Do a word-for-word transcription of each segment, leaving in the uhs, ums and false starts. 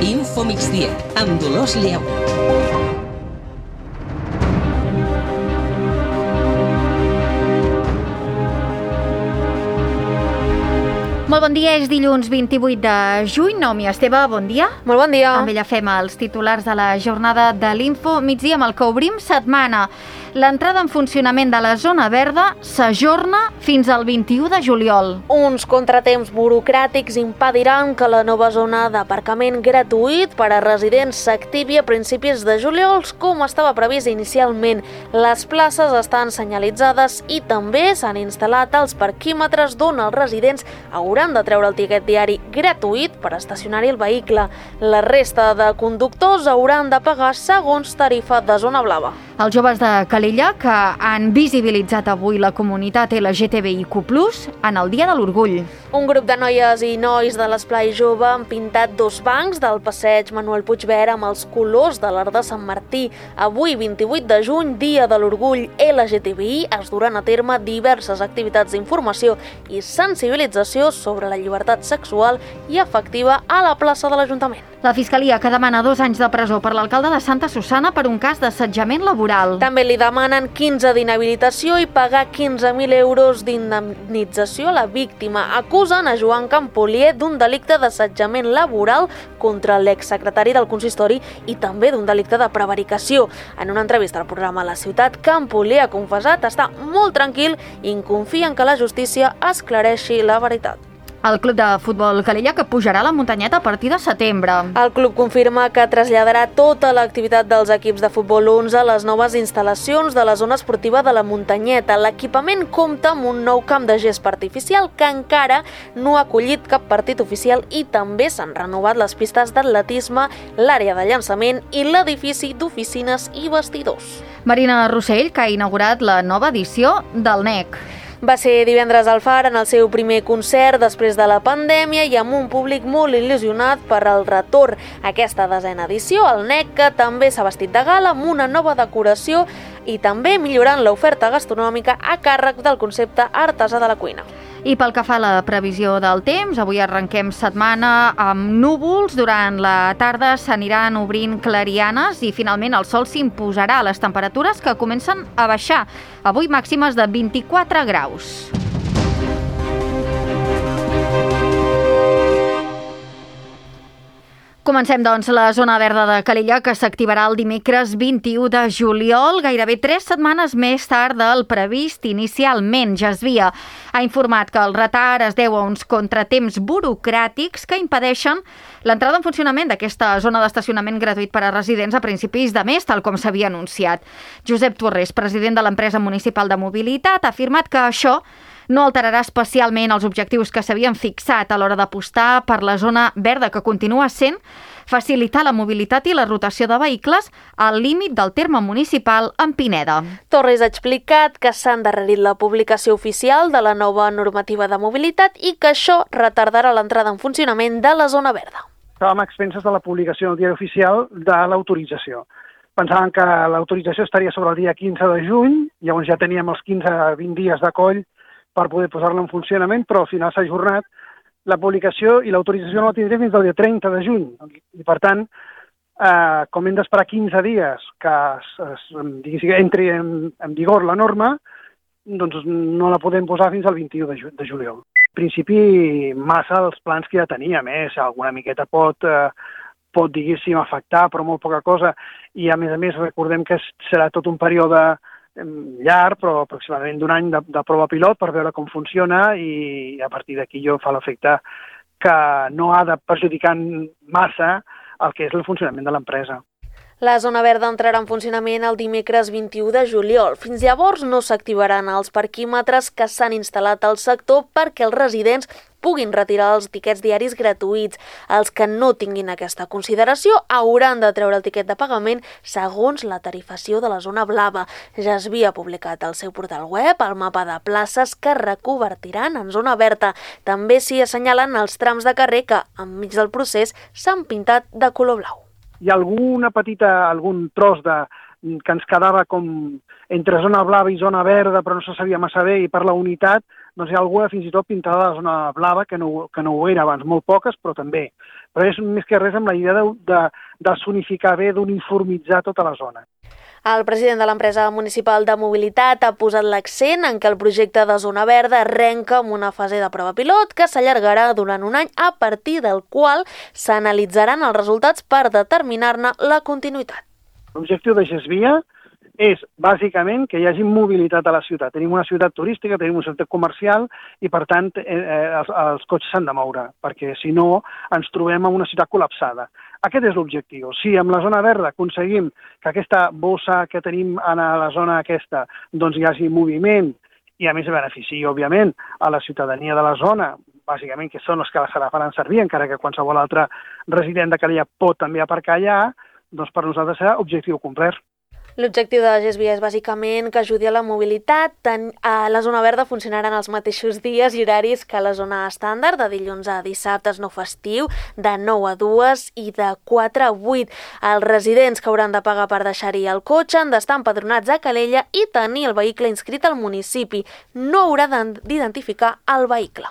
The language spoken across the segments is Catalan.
Info migdia, amb Dolors Lleu. Molt bon dia, és dilluns vint-i-vuit de juny. Naomi Esteve, bon dia. Molt bon dia. Amb ella fem els titulars de la jornada de l'Info migdia amb el que obrim setmana. L'entrada en funcionament de la zona verda s'ajorna fins al vint-i-u de juliol. Uns contratemps burocràtics impediran que la nova zona d'aparcament gratuït per a residents s'activi a principis de juliol, com estava previst inicialment. Les places estan senyalitzades i també s'han instal·lat els parquímetres d'on els residents hauran de treure el tiquet diari gratuït per estacionar-hi el vehicle. La resta de conductors hauran de pagar segons tarifa de zona blava. Els joves de Calella, que han visibilitzat avui la comunitat L G T B I Q plus, en el Dia de l'Orgull. Un grup de noies i nois de l'Esplai Jove han pintat dos bancs del passeig Manuel Puigverd amb els colors de l'Arc de Sant Martí. Avui, vint-i-vuit de juny, Dia de l'Orgull L G T B I, es duran a terme diverses activitats d'informació i sensibilització sobre la llibertat sexual i afectiva a la plaça de l'Ajuntament. La Fiscalia, que demana dos anys de presó per l'alcalde de Santa Susanna per un cas d'assetjament laboral. També li demanen quinze d'inhabilitació i pagar quinze mil euros d'indemnització a la víctima. Acusen a Joan Campolier d'un delicte d'assetjament laboral contra l'exsecretari del consistori i també d'un delicte de prevaricació. En una entrevista al programa La Ciutat, Campolier ha confessat estar molt tranquil i confia en que la justícia esclareixi la veritat. El club de futbol Calella, que pujarà a la muntanyeta a partir de setembre. El club confirma que traslladarà tota l'activitat dels equips de futbol onze a les noves instal·lacions de la zona esportiva de la muntanyeta. L'equipament compta amb un nou camp de gespa artificial que encara no ha acollit cap partit oficial i també s'han renovat les pistes d'atletisme, l'àrea de llançament i l'edifici d'oficines i vestidors. Marina Rossell, que ha inaugurat la nova edició del N E C. Va ser divendres al Far en el seu primer concert després de la pandèmia i amb un públic molt il·lusionat per al retorn. Aquesta desena edició, el N E C, que també s'ha vestit de gala amb una nova decoració i també millorant l'oferta gastronòmica a càrrec del concepte artesà de la cuina. I pel que fa a la previsió del temps, avui arrenquem setmana amb núvols. Durant la tarda s'aniran obrint clarianes i finalment el sol s'imposarà a les temperatures que comencen a baixar. Avui màximes de vint-i-quatre graus. Comencem, doncs, la zona verda de Calella, que s'activarà el dimecres vint-i-u de juliol, gairebé tres setmanes més tard del previst inicialment. Jasvia ha informat que el retard es deu a uns contratemps burocràtics que impedeixen l'entrada en funcionament d'aquesta zona d'estacionament gratuït per a residents a principis de mes, tal com s'havia anunciat. Josep Torres, president de l'empresa municipal de mobilitat, ha afirmat que això no alterarà especialment els objectius que s'havien fixat a l'hora d'apostar per la zona verda, que continua sent facilitar la mobilitat i la rotació de vehicles al límit del terme municipal en Pineda. Torres ha explicat que s'ha endarrerit la publicació oficial de la nova normativa de mobilitat i que això retardarà l'entrada en funcionament de la zona verda. Estàvem a expenses de la publicació del diari oficial de l'autorització. Pensàvem que l'autorització estaria sobre el dia quinze de juny, llavors ja teníem els quinze a vint dies de coll per poder posar-la en funcionament, però al final s'ha ajornat la publicació i l'autorització no la tindrem fins al dia trenta de juny. I per tant, eh, com hem d'esperar quinze dies que es, es, entri en, en vigor la norma, doncs no la podem posar fins al vint-i-u de, ju de juliol. En principi, massa els plans que ja teníem, eh? Alguna miqueta pot, eh, pot diguéssim, afectar, però molt poca cosa. I a més a més recordem que serà tot un període llarg, però aproximadament d'un any de, de prova pilot per veure com funciona i a partir d'aquí jo fa l'efecte que no ha de perjudicar massa el que és el funcionament de l'empresa. La zona verda entrarà en funcionament el dimecres vint-i-u de juliol. Fins llavors no s'activaran els parquímetres que s'han instal·lat al sector perquè els residents puguin retirar els tiquets diaris gratuïts. Els que no tinguin aquesta consideració hauran de treure el tiquet de pagament segons la tarifació de la zona blava. Ja es havia publicat al seu portal web el mapa de places que reconvertiran en zona verda. També s'hi assenyalen els trams de carrer que, enmig del procés, s'han pintat de color blau. hi ha alguna petita, algun tros de, que ens quedava com entre zona blava i zona verda, però no se sabia massa bé, i per la unitat, doncs hi ha alguna fins i tot pintada de zona blava, que no, que no ho era abans, molt poques, però també. Però és més que res amb la idea de, de, de sonificar bé, d'uniformitzar tota la zona. El president de l'empresa municipal de mobilitat ha posat l'accent en que el projecte de zona verda arrenca amb una fase de prova pilot que s'allargarà durant un any, a partir del qual s'analitzaran els resultats per determinar-ne la continuïtat. L'objectiu de Gesvia és, bàsicament, que hi hagi mobilitat a la ciutat. Tenim una ciutat turística, tenim una ciutat comercial i, per tant, eh, els, els cotxes s'han de moure, perquè, si no, ens trobem en una ciutat col·lapsada. Aquest és l'objectiu. Si amb la zona verda aconseguim que aquesta bossa que tenim a la zona aquesta doncs hi hagi moviment i, a més, benefici, òbviament, a la ciutadania de la zona, bàsicament, que són els que se la faran servir, encara que qualsevol altre resident de Calella pot també aparcar allà, doncs per nosaltres serà objectiu complert. L'objectiu de Gesvia és bàsicament que ajudi a la mobilitat. A la zona verda funcionaran els mateixos dies i horaris que la zona estàndard, de dilluns a dissabtes no festiu, de nou a dues i de quatre a vuit. Els residents que hauran de pagar per deixar-hi el cotxe han d'estar empadronats a Calella i tenir el vehicle inscrit al municipi. No haurà d'identificar el vehicle.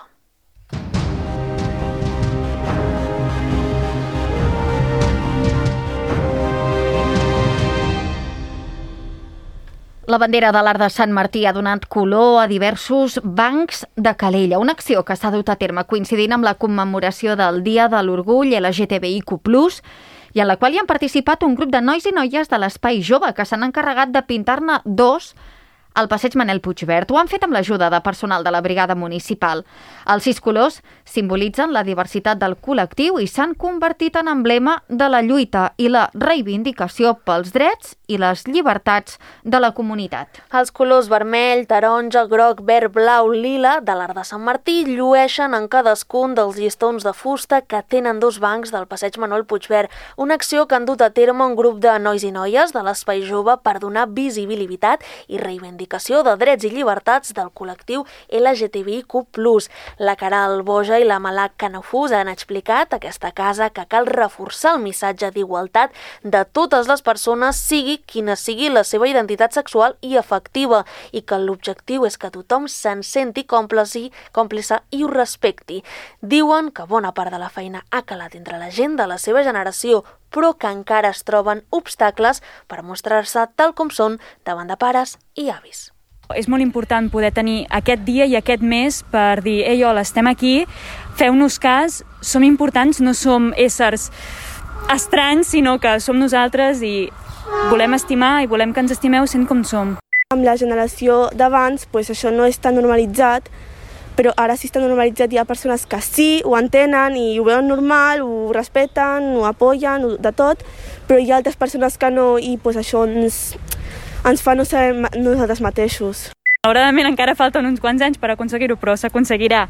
La bandera de l'Arc de Sant Martí ha donat color a diversos bancs de Calella, una acció que s'ha dut a terme coincidint amb la commemoració del Dia de l'Orgull L G T B I Q plus, i en la qual hi han participat un grup de nois i noies de l'Espai Jove que s'han encarregat de pintar-ne dos al passeig Manel Puigvert. Ho han fet amb l'ajuda de personal de la brigada municipal. Els sis colors simbolitzen la diversitat del col·lectiu i s'han convertit en emblema de la lluita i la reivindicació pels drets i les llibertats de la comunitat. Els colors vermell, taronja, groc, verd, blau, lila de l'Arc de Sant Martí llueixen en cadascun dels llistons de fusta que tenen dos bancs del passeig Manel Puigvert, una acció que han dut a terme un grup de nois i noies de l'Espai Jove per donar visibilitat i reivindicació de drets i llibertats del col·lectiu L G T B I Q plus. La Caral Boja i la Malak Canafús han explicat a aquesta casa que cal reforçar el missatge d'igualtat de totes les persones, sigui quina sigui la seva identitat sexual i afectiva, i que l'objectiu és que tothom se'n senti còmplice, còmplice i ho respecti. Diuen que bona part de la feina ha calat entre la gent de la seva generació, però que encara es troben obstacles per mostrar-se tal com són davant de pares i avis. És molt important poder tenir aquest dia i aquest mes per dir «Ei, hola, estem aquí, feu-nos cas, som importants, no som éssers estranys, sinó que som nosaltres i volem estimar i volem que ens estimeu sent com som». Amb la generació d'abans, pues, això no és tan normalitzat, però ara sí està normalitzat, hi ha persones que sí, ho entenen i ho veuen normal, ho respecten, ho apoyen, de tot, però hi ha altres persones que no i pues, això ens, ens fa no ser nosaltres mateixos. Malauradament encara falten uns quants anys per aconseguir-ho, però s'aconseguirà.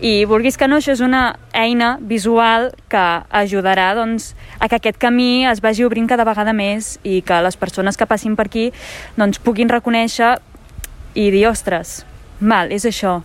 I vulguis que no, això és una eina visual que ajudarà doncs, a que aquest camí es vagi obrint cada vegada més i que les persones que passin per aquí doncs, puguin reconèixer i dir, ostres, mal, és això.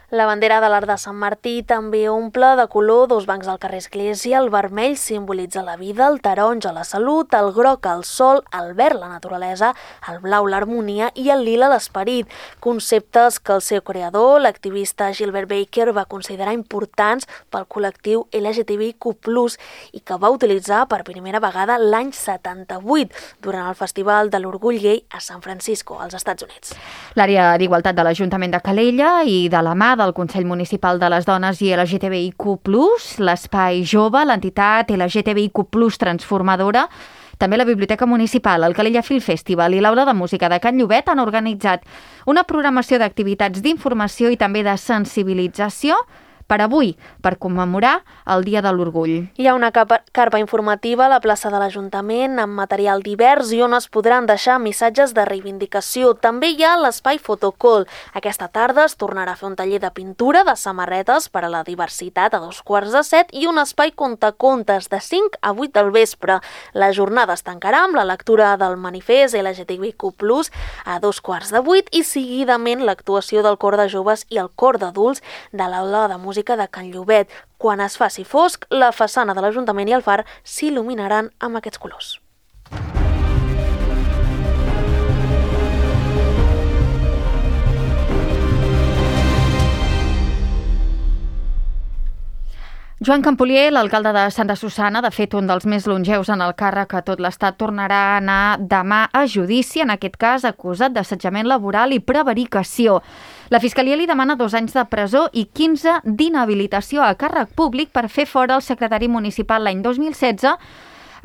La bandera de l'Arc de Sant Martí també omple de color dos bancs del carrer Església. El vermell simbolitza la vida, el taronja la salut, el groc el sol, el verd la naturalesa, el blau l'harmonia i el lila l'esperit. Conceptes que el seu creador, l'activista Gilbert Baker, va considerar importants pel col·lectiu L G T B I Q plus i que va utilitzar per primera vegada l'any setanta-vuit durant el Festival de l'Orgull Gai a San Francisco, als Estats Units. L'àrea d'igualtat de l'Ajuntament de Calella i de la mà del Consell Municipal de les Dones i L G T B I Q plus, l'Espai Jove, l'entitat L G T B I Q plus Transformadora, també la Biblioteca Municipal, el Calella Film Festival i l'Aula de Música de Can Llobet han organitzat una programació d'activitats d'informació i també de sensibilització per avui, per commemorar el Dia de l'Orgull. Hi ha una carpa informativa a la plaça de l'Ajuntament amb material divers i on es podran deixar missatges de reivindicació. També hi ha l'espai Fotocall. Aquesta tarda es tornarà a fer un taller de pintura de samarretes per a la diversitat a dos quarts de set i un espai contacontes de cinc a vuit del vespre. La jornada es tancarà amb la lectura del manifest L G T B I Q plus a dos quarts de vuit i seguidament l'actuació del cor de joves i el cor d'adults de l'Aula de Música música de Can Llobet. Quan es faci fosc, la façana de l'Ajuntament i el far s'il·luminaran amb aquests colors. Joan Campolier, l'alcalde de Santa Susanna, de fet un dels més longeus en el càrrec a tot l'Estat, tornarà a anar demà a judici, en aquest cas acusat d'assetjament laboral i prevaricació. La Fiscalia li demana dos anys de presó i quinze d'inhabilitació a càrrec públic per fer fora el secretari municipal l'any dos mil setze.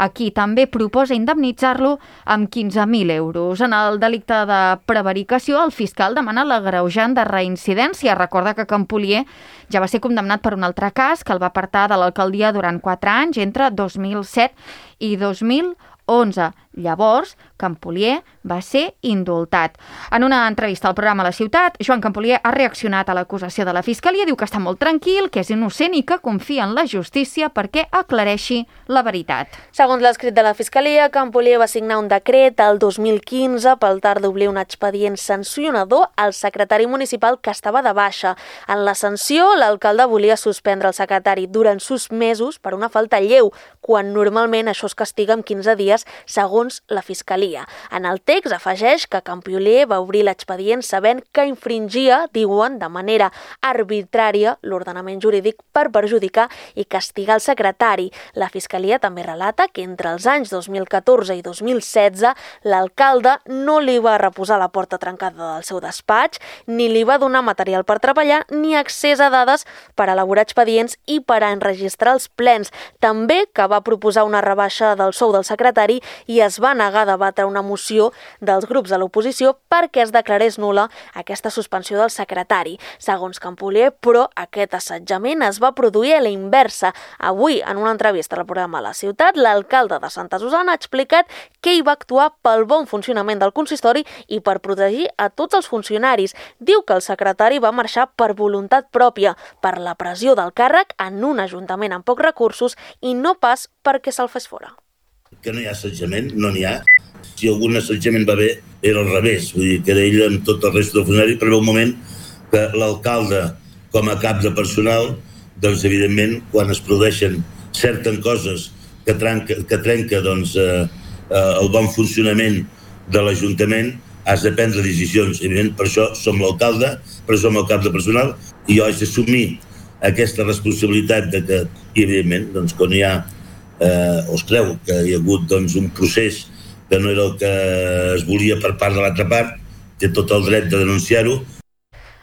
Aquí també proposa indemnitzar-lo amb quinze mil euros. En el delicte de prevaricació, el fiscal demana l'agreujant de reincidència. Recorda que Campolier ja va ser condemnat per un altre cas que el va apartar de l'alcaldia durant quatre anys, entre dos mil set i dos mil onze. Llavors, Campolier va ser indultat. En una entrevista al programa La Ciutat, Joan Campolier ha reaccionat a l'acusació de la Fiscalia, diu que està molt tranquil, que és innocent i que confia en la justícia perquè aclareixi la veritat. Segons l'escrit de la Fiscalia, Campolier va signar un decret el dos mil quinze pel tard d'oblir un expedient sancionador al secretari municipal que estava de baixa. En la sanció, l'alcalde volia suspendre el secretari durant sis mesos per una falta lleu, quan normalment això es castiga amb quinze dies, segons la Fiscalia. En el text afegeix que Campolier va obrir l'expedient sabent que infringia, diuen, de manera arbitrària l'ordenament jurídic per perjudicar i castigar el secretari. La Fiscalia també relata que entre els anys dos mil catorze i dos mil setze l'alcalde no li va reposar la porta trencada del seu despatx, ni li va donar material per treballar, ni accés a dades per elaborar expedients i per enregistrar els plens. També que va proposar una rebaixa del sou del secretari i es va negar a debatre una moció dels grups de l'oposició perquè es declarés nul·la aquesta suspensió del secretari. Segons Campolier, però, aquest assetjament es va produir a la inversa. Avui, en una entrevista al programa La Ciutat, l'alcalde de Santa Susanna ha explicat que hi va actuar pel bon funcionament del consistori i per protegir a tots els funcionaris. Diu que el secretari va marxar per voluntat pròpia, per la pressió del càrrec en un ajuntament amb pocs recursos i no pas perquè se'l fes fora. Que no hi ha assetjament, no n'hi ha. Si algun assetjament va bé, era al revés. Vull dir que era ell amb tot el resta del funcionari, però un moment que l'alcalde, com a cap de personal, doncs evidentment, quan es produeixen certes coses que trenca, que trenca doncs, eh, eh, el bon funcionament de l'Ajuntament, has de prendre decisions. Evidentment, per això som l'alcalde, però som el cap de personal, i jo haig d'assumir aquesta responsabilitat de que, i evidentment, doncs, quan hi ha Eh, o es creu que hi ha hagut doncs, un procés que no era el que es volia per part de l'altra part, té tot el dret de denunciar-ho.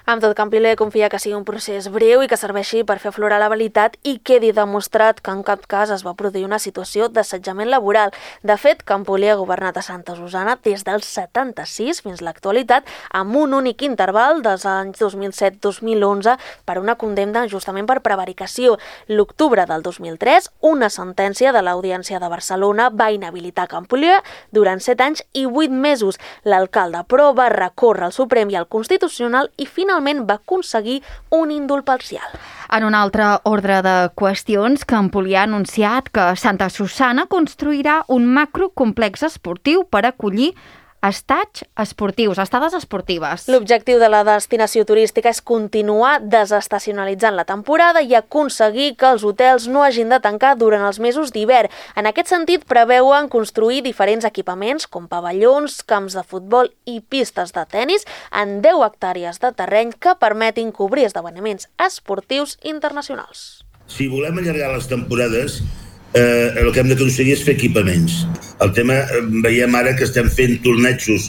Amb tot, Campolier confia que sigui un procés breu i que serveixi per fer aflorar la veritat i quedi demostrat que en cap cas es va produir una situació d'assetjament laboral. De fet, Campolier ha governat a Santa Susanna des del setanta-sis fins a l'actualitat, amb un únic interval dels anys dos mil set dos mil onze per una condemna justament per prevaricació. L'octubre del dos mil tres, una sentència de l'Audiència de Barcelona va inhabilitar Campolier durant set anys i vuit mesos. L'alcalde, però, va recórrer al Suprem i al Constitucional i finalment va aconseguir un indult parcial. En un altre ordre de qüestions, Campolier ha anunciat que Santa Susanna construirà un macrocomplex esportiu per acollir estats esportius, estades esportives. L'objectiu de la destinació turística és continuar desestacionalitzant la temporada i aconseguir que els hotels no hagin de tancar durant els mesos d'hivern. En aquest sentit, preveuen construir diferents equipaments com pavellons, camps de futbol i pistes de tennis en deu hectàrees de terreny que permetin cobrir esdeveniments esportius internacionals. Si volem allargar les temporades, Eh, el que hem d'aconseguir és fer equipaments. El tema, eh, veiem ara que estem fent tornejos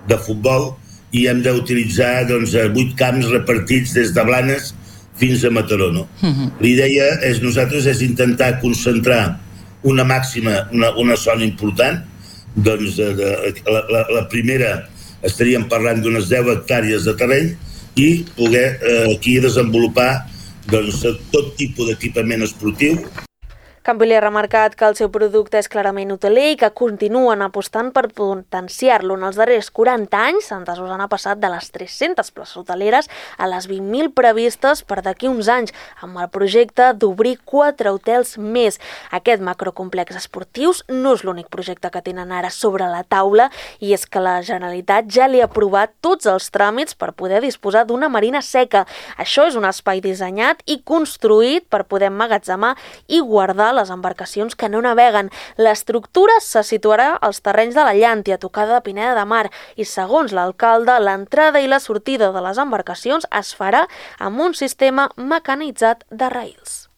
de futbol i hem d'utilitzar doncs, vuit camps repartits des de Blanes fins a Mataró. No? Uh-huh. L'idea és nosaltres és intentar concentrar una màxima, una, una zona important. Doncs de, de, la, la, la primera estaríem parlant d'unes deu hectàrees de terreny i poder eh, aquí desenvolupar doncs, tot tipus d'equipament esportiu. Campilli ha remarcat que el seu producte és clarament hoteler i que continuen apostant per potenciar-lo. En els darrers quaranta anys, Santa Susanna ha passat de les tres-centes places hoteleres a les vint mil previstes per d'aquí uns anys, amb el projecte d'obrir quatre hotels més. Aquest macrocomplex esportius no és l'únic projecte que tenen ara sobre la taula, i és que la Generalitat ja li ha aprovat tots els tràmits per poder disposar d'una marina seca. Això és un espai dissenyat i construït per poder emmagatzemar i guardar les embarcacions que no naveguen. L'estructura se situarà als terrenys de la Llàntia, tocada de Pineda de Mar, i segons l'alcalde, l'entrada i la sortida de les embarcacions es farà amb un sistema mecanitzat de raïls.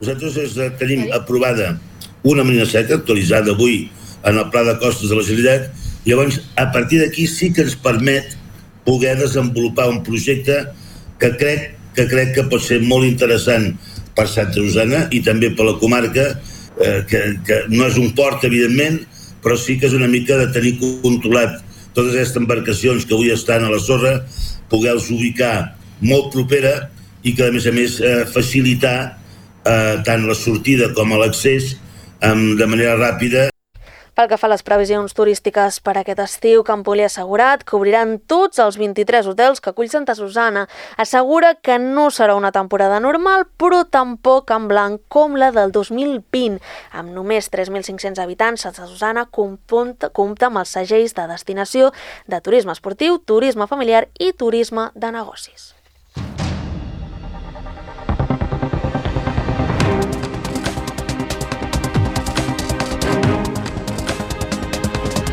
Nosaltres tenim aprovada una marina seca actualitzada avui en el Pla de Costes de la Generalitat. Llavors, a partir d'aquí sí que ens permet poder desenvolupar un projecte que crec que crec que pot ser molt interessant per Santa Susanna i també per la comarca, eh, que, que no és un port, evidentment, però sí que és una mica de tenir controlat totes aquestes embarcacions que avui estan a la sorra, poder-los ubicar molt propera i que, a més a més, eh, facilitar eh, tant la sortida com l'accés eh, de manera ràpida. Pel que fa a les previsions turístiques per aquest estiu, Campilli ha assegurat que obriran tots els vint-i-tres hotels que acull Santa Susanna. Assegura que no serà una temporada normal, però tampoc en blanc com la del dos mil vint. Amb només tres mil cinc-cents habitants, Santa Susanna compta, compta amb els segells de destinació de turisme esportiu, turisme familiar i turisme de negocis.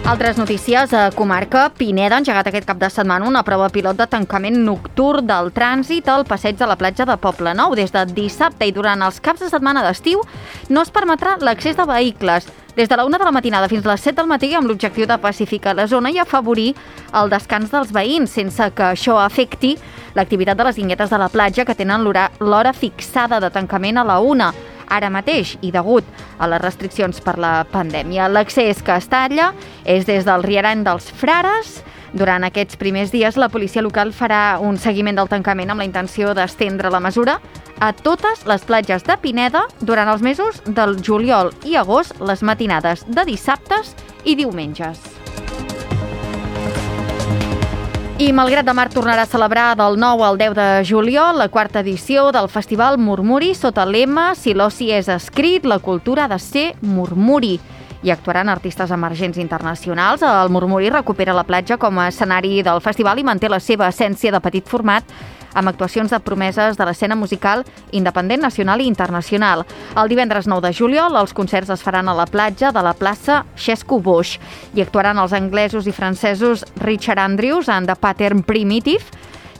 Altres notícies. A comarca, Pineda ha engegat aquest cap de setmana una prova pilot de tancament nocturn del trànsit al passeig de la platja de Poblenou. Des de dissabte i durant els caps de setmana d'estiu no es permetrà l'accés de vehicles des de la una de la matinada fins a les set del matí, amb l'objectiu de pacificar la zona i afavorir el descans dels veïns, sense que això afecti l'activitat de les guinguetes de la platja, que tenen l'hora fixada de tancament a la una. Ara mateix, i degut a les restriccions per la pandèmia, l'accés que es talla és des del Rierany dels Frares. Durant aquests primers dies, la policia local farà un seguiment del tancament amb la intenció d'estendre la mesura a totes les platges de Pineda durant els mesos del juliol i agost, les matinades de dissabtes i diumenges. I Malgrat de Mar tornarà a celebrar del nou al deu de juliol la quarta edició del Festival Murmuri sota el lema "Si l'oci és escrit, la cultura ha de ser murmuri". Hi actuaran artistes emergents internacionals. El Murmuri recupera la platja com a escenari del festival i manté la seva essència de petit format, amb actuacions de promeses de l'escena musical independent nacional i internacional. El divendres nou de juliol els concerts es faran a la platja de la plaça Xesco Boix. Hi actuaran els anglesos i francesos Richard Andrews and the Pattern Primitive,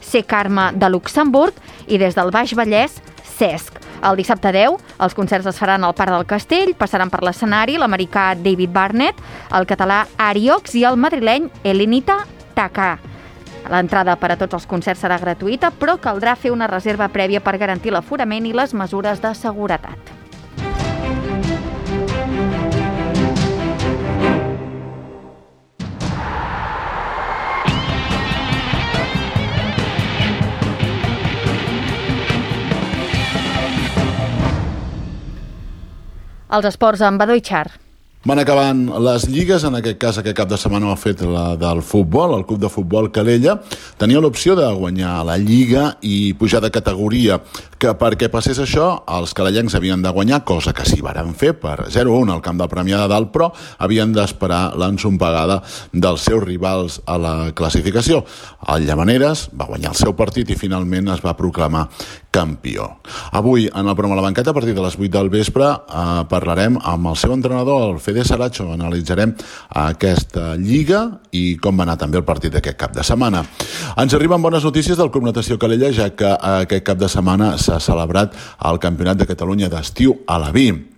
C. Karma de Luxemburg i des del Baix Vallès, Cesc. El dissabte deu, els concerts es faran al Parc del Castell, passaran per l'escenari l'americà David Barnett, el català Ariox i el madrileny Elenita Takà. L'entrada per a tots els concerts serà gratuïta, però caldrà fer una reserva prèvia per garantir l'aforament i les mesures de seguretat. Els esports amb Badó i Char. Van acabant les lligues, en aquest cas aquest cap de setmana ho ha fet la del futbol, el club de futbol Calella. Tenia l'opció de guanyar la lliga i pujar de categoria, que perquè passés això els calellencs havien de guanyar, cosa que sí varen fer per zero a un al camp del Premià de Dalt, però havien d'esperar l'ensompegada dels seus rivals a la classificació. El Llavaneres va guanyar el seu partit i finalment es va proclamar campió. Avui, en el programa La Banqueta, a partir de les vuit del vespre, eh, parlarem amb el seu entrenador, el Fede Saracho. Analitzarem aquesta lliga i com va anar també el partit d'aquest cap de setmana. Ens arriben bones notícies del Club Natació Calella, ja que aquest cap de setmana s'ha celebrat el Campionat de Catalunya d'estiu a la Vi,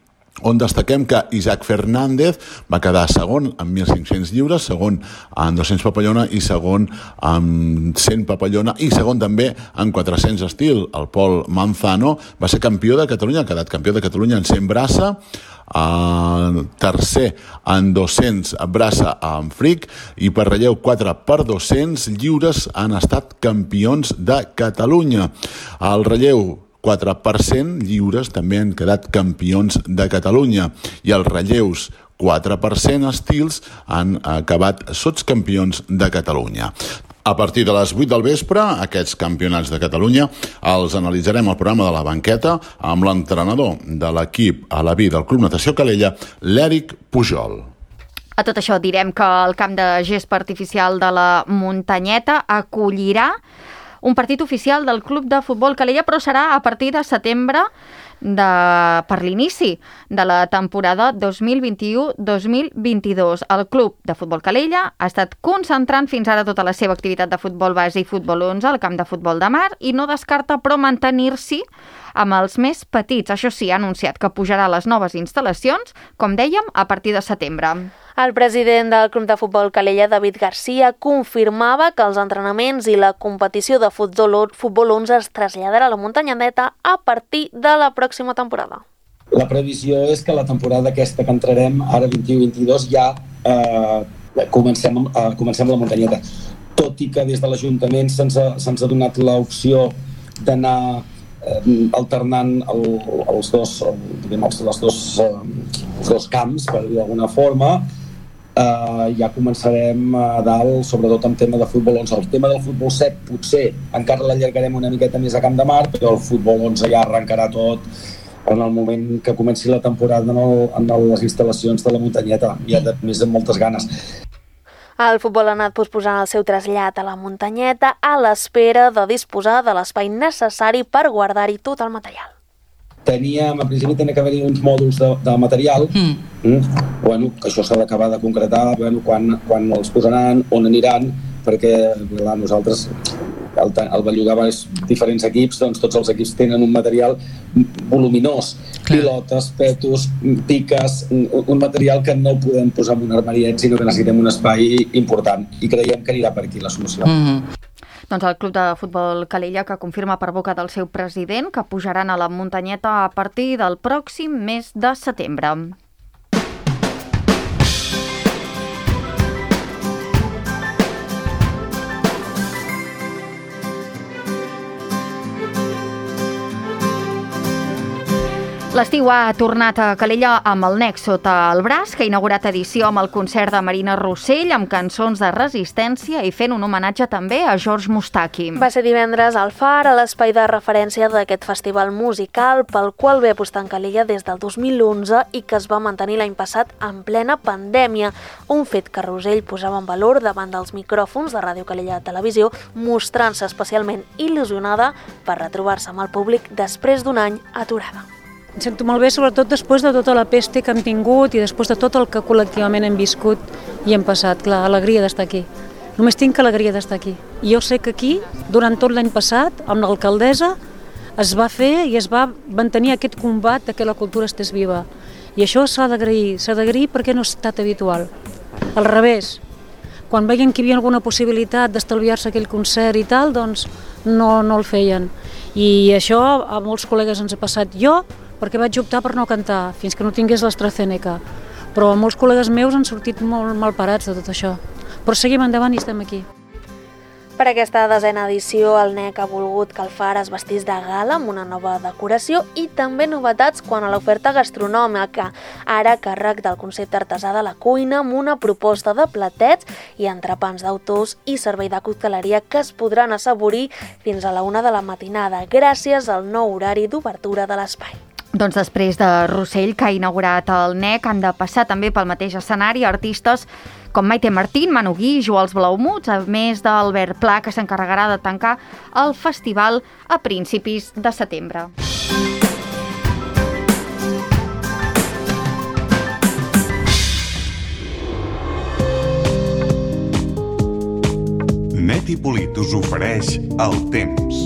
on destaquem que Isaac Fernández va quedar segon amb mil cinc-cents lliures, segon amb dos-cents papallona i segon amb cent papallona i segon també amb quatre-cents estil. El Pol Manzano va ser campió de Catalunya, ha quedat campió de Catalunya en cent braça, Uh, tercer en dos-cents braça amb fric i per relleu quatre per dos-cents lliures han estat campions de Catalunya. El relleu quatre per cent, lliures també han quedat campions de Catalunya, i els relleus, quatre per cent, estils han acabat sotscampions de Catalunya. A partir de les vuit del vespre, aquests campionats de Catalunya els analitzarem al programa de La Banqueta amb l'entrenador de l'equip a la vida del Club Natació Calella, l'Eric Pujol. A tot això direm que el camp de gespa artificial de la Muntanyeta acollirà un partit oficial del Club de Futbol Calella, però serà a partir de setembre de, per l'inici de la temporada dos mil vint-i-u dos mil vint-i-dos. El Club de Futbol Calella ha estat concentrant fins ara tota la seva activitat de futbol base i futbol onze al camp de futbol de mar i no descarta però mantenir-s'hi amb els més petits. Això sí, ha anunciat que pujarà a les noves instal·lacions, com dèiem, a partir de setembre. El president del Club de Futbol Calella, David Garcia, confirmava que els entrenaments i la competició de futbol, futbol onze es traslladarà a la Muntanyeta a partir de la pròxima temporada. La previsió és que la temporada aquesta que entrarem, ara vint-i-u vint-i-dos, ja eh, comencem, eh, comencem la Muntanyeta. Tot i que des de l'Ajuntament se'ns ha, se'ns ha donat l'opció d'anar eh, alternant el, els dos, el, els, els, dos, eh, els dos camps, per dir d'alguna forma. Uh, ja començarem a dalt, sobretot amb tema de futbol onze. El tema del futbol set potser encara l'allargarem una miqueta més a Camp de Mar, però el futbol onze ja arrencarà tot en el moment que comenci la temporada en, el, en les instal·lacions de la Muntanyeta, ja de més amb moltes ganes. El futbol ha anat posposant el seu trasllat a la Muntanyeta a l'espera de disposar de l'espai necessari per guardar-hi tot el material. Teníem, a principi tenia que haver-hi uns mòduls de, de material, mm. Mm, bueno, que això s'ha d'acabar de concretar, bueno, quan, quan els posaran, on aniran, perquè clar, nosaltres el, el bellugava és diferents equips, doncs tots els equips tenen un material voluminós, clar. Pilotes, petos, piques, un, un material que no podem posar en un armariet, sinó que necessitem un espai important, i creiem que anirà per aquí la solució. Mm-hmm. Doncs el Club de Futbol Calella, que confirma per boca del seu president que pujaran a la Muntanyeta a partir del pròxim mes de setembre. L'estiu ha tornat a Calella amb el Nec sota el braç, que ha inaugurat edició amb el concert de Marina Rossell, amb cançons de resistència i fent un homenatge també a George Moustaki. Va ser divendres al Far, a l'espai de referència d'aquest festival musical, pel qual ve apostant Calella des del dos mil onze i que es va mantenir l'any passat en plena pandèmia, un fet que Rossell posava en valor davant dels micròfons de Ràdio Calella Televisió, mostrant-se especialment il·lusionada per retrobar-se amb el públic després d'un any aturada. Em sento molt bé, sobretot després de tota la peste que hem tingut i després de tot el que col·lectivament hem viscut i hem passat. Clar, alegria d'estar aquí. Només tinc alegria d'estar aquí. I jo sé que aquí, durant tot l'any passat, amb l'alcaldessa, es va fer i es va mantenir aquest combat de que la cultura estés viva. I això s'ha d'agrair, s'ha d'agrair perquè no ha estat habitual. Al revés, quan veien que hi havia alguna possibilitat d'estalviar-se aquell concert i tal, doncs no, no el feien. I això a molts col·legues ens ha passat. Jo, perquè vaig optar per no cantar fins que no tingués l'AstraZeneca. Però molts col·legues meus han sortit molt malparats de tot això. Però seguim endavant i estem aquí. Per aquesta desena edició, el Nec ha volgut que el Far es vestís de gala amb una nova decoració i també novetats quant a l'oferta gastronòmica, ara a càrrec del concepte artesà de la cuina amb una proposta de platets i entrepans d'autors i servei de cocteleria que es podran assaborir fins a la una de la matinada, gràcies al nou horari d'obertura de l'espai. Doncs després de Rossell, que ha inaugurat el Nec, han de passar també pel mateix escenari artistes com Maite Martín, Manu Guix o els Blaumuts, a més d'Albert Pla, que s'encarregarà de tancar el festival a principis de setembre. Net i Polit us ofereix el temps.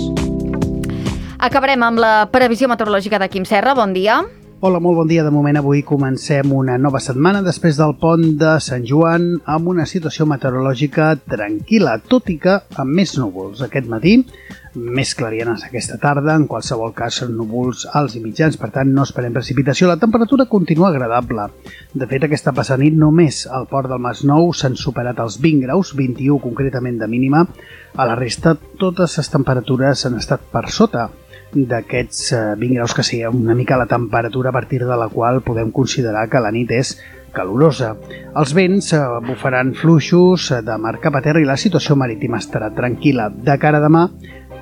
Acabarem amb la previsió meteorològica de Quim Serra. Bon dia. Hola, molt bon dia. De moment avui comencem una nova setmana després del pont de Sant Joan amb una situació meteorològica tranquil·la, tot i que amb més núvols. Aquest matí més clarianes aquesta tarda, en qualsevol cas són núvols alts i mitjans, per tant no esperem precipitació. La temperatura continua agradable. De fet, aquesta passada nit només al port del Masnou s'han superat els vint graus, vint-i-u concretament de mínima. A la resta, totes les temperatures han estat per sota d'aquests vint graus, que sigui una mica la temperatura a partir de la qual podem considerar que la nit és calorosa. Els vents bufaran fluixos de mar cap a terra i la situació marítima estarà tranquil·la. De cara a demà,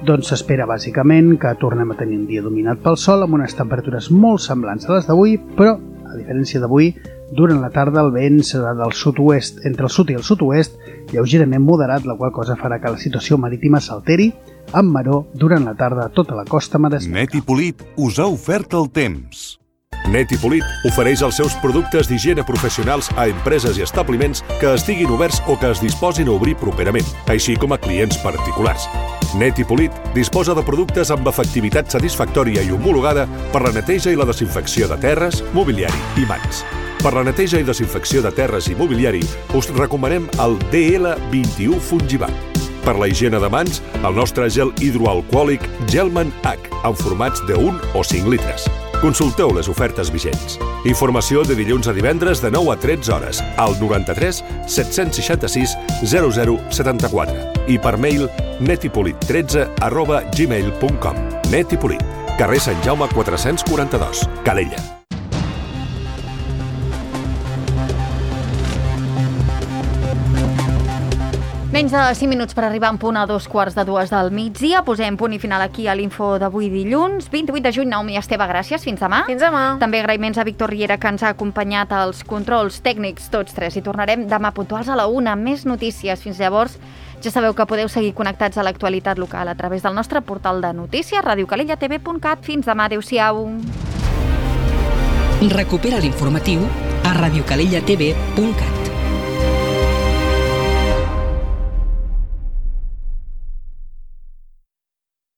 doncs s'espera bàsicament que tornem a tenir un dia dominat pel sol amb unes temperatures molt semblants a les d'avui, però, a diferència d'avui, durant la tarda el vent serà del sud-oest, entre el sud i el sud-oest, lleugerament moderat, la qual cosa farà que la situació marítima s'alteri amb maró durant la tarda a tota la costa maresmenca. Net i Polit us ha ofert el temps. Net i Polit ofereix els seus productes d'higiene professionals a empreses i establiments que estiguin oberts o que es disposin a obrir properament, així com a clients particulars. Net i Polit disposa de productes amb efectivitat satisfactòria i homologada per la neteja i la desinfecció de terres, mobiliari i mans. Per la neteja i desinfecció de terres i mobiliari us recomanem el D L vint-i-u Fungibat. Per la higiene de mans, el nostre gel hidroalcohòlic Gelman H, en formats de un o cinc litres. Consulteu les ofertes vigents. Informació de dilluns a divendres de nou a tretze hores al noranta-tres set-cents seixanta-sis zero zero setanta-quatre i per mail netipolit tretze arroba gmail punt com. Net i Polit, carrer Sant Jaume quatre-cents quaranta-dos, Calella. Menys de cinc minuts per arribar en punt a dos quarts de dues del migdia. Posem punt i final aquí a l'info d'avui dilluns, vint-i-vuit de juny. Naomi Esteve, gràcies. Fins demà. Fins demà. També agraïments a Víctor Riera, que ens ha acompanyat als controls tècnics tots tres. I tornarem demà puntuals a la una. Més notícies. Fins llavors, ja sabeu que podeu seguir connectats a l'actualitat local a través del nostre portal de notícies, radio calella t v punt cat. Fins demà. Adéu-siau. Recupera l'informatiu a radio calella t v punt cat.